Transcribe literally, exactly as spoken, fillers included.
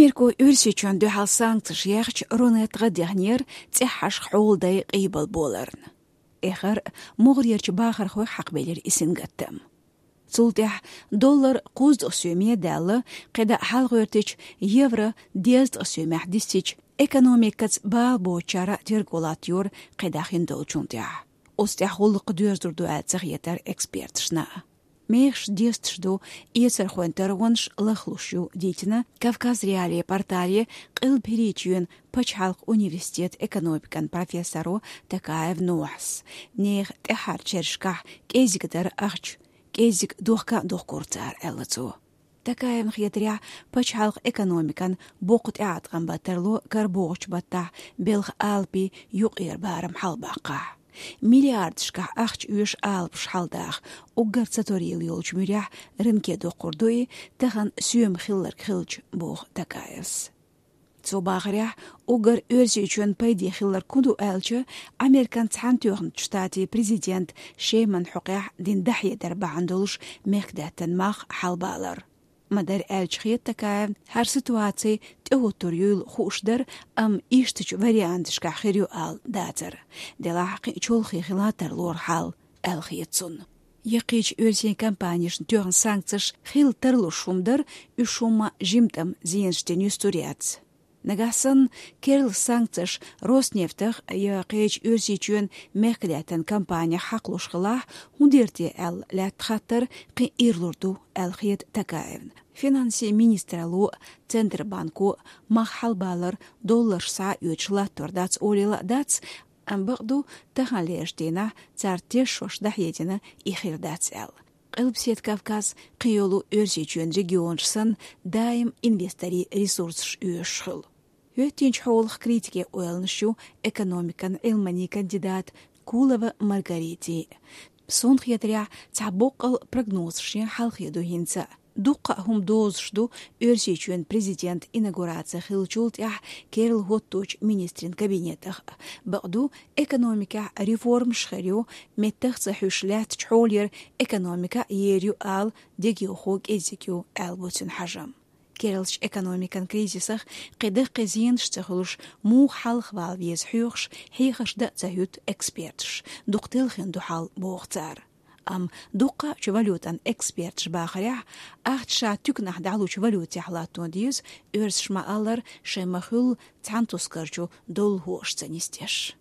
Америко Оьрсийчоьнна дуьхьал санкцеш яьхча, Рунет гӀа дехнера цӀеххьашха хьоладай къийбал боларна. Эххар могӀарерча бахархойх хьакхабелира и сингаттам. Цул тӀехьа доллар кхузткъа соьме а даьлла, кхидӀа хьалгӀоьртича, евро дезткъа соьмехь дисича, экономикаца бала боцучара терго латтайора кхидӀа хиндолчунна тӀехьа. Оцу тӀехь гӀуллакх доьрзур ду аьлла ца хетара эксперташна. Мехаш десташ ду, эцархойн таронаш лахлуш ю, дийцина Кавказ.Реалии портале Къилба ХӀирийчоьнан пачхьалкхан университетан экономикан профессоро Такаев Нухьас. Нехан тӀаьххьарчу шерашкахь кӀезиг дара ахча, кӀезиг дохка а дохкура цара, аьлла цо. Такаевна хетарехь, пачхьалкхан экономикан боккха тӀеӀаткъам бан тарло карабогӀучу баттахь белхан алапийн юкъара барам хьалабаккхахь. Миллиардашкахь ахча оьшу алапаш хьалдаха, уггар ца торийлла йолчу муьрехь рынке доккхур ду и, тахана соьма хилларг хилча, боху Такаевс. Цо бахарехь, уггар Оьрсийчоьнна пайде хилларг хӀун ду аьлча, Американ Цхьаьнатоьхначу Штатийн президента Шеман хьокъехь дина дӀахьедар бахьана долуш мехкадаьттан мах хьалабалар. Ма-дарра аьлча, хета Такаевна, хӀара ситуаци тӀехӀуттур юйла хууш дара, амма ишттачу варианташкахь хир ю ала дацара. Делахь кхин а чолхе хила тарлора хьал, аьлла хета цунна. Яккхийчу оьрсийн компанешна тоьхна санкцеш хила тарлуш хӀума дара, уьш хӀумма жимма тӀам зенаш дина юьсур яц. Нагахь санна керла санкцеш Роснефтах я кхечу Оьрсийчоьнан мехкадаьттан компанех хьакхалуш хилахь, хӀун дийр те аьлла лаьтта хаттар кхин а ирлур ду, аьлла хета Такаевна. Финансийн министралло а, Центробанко а мах хьалабалар долларш схьа а оьцуш латтор дац олийла а дац, амма бакъду, таханлерчу дийнахь цара тешош дӀахьедина и хир дац аьлла. Къилбаседа Кавказ, кхийолу Оьрсийчоьнан регионаш санна, даим инвесторийн ресурсаш оьшуш хуьлу. ХӀоьттинчу хьолах критике ойланаш ю экономикан Ӏилманийн кандидата Кулова Маргаритин. Суна хетарехь, цхьа боккъал прогнозашна хьалхе ду хӀинца. Дуккха а хӀума дозуш ду Оьрсийчоьнан президентан инаугураци хиллачул тӀаьхьа керла хӀотточу министрийн кабинетах. Бакъду, экономикехь реформаш хир ю, меттах ца хьуьйш лаьттачу хьолера экономика а ер ю ала дегайовхо кӀезиг ю, аьлла бу цуьнан хьажам. Керлачу экономикан кризисах кхин даккхий зенаш ца хуьлуш, муха хьалхавала веза хьоьхуш, хьехарш дан а ца хӀуьтту эксперташ, дукха телхина ду хьал, боху цара. Амма дуккха а чу валютан эксперташ бахарехь, ахча ша туьканахь дӀалучу валютехь латто деза, оьрсаша ма-аллара, шайн ма-хуьллу цхьана тускарчу долларашца нисдеш.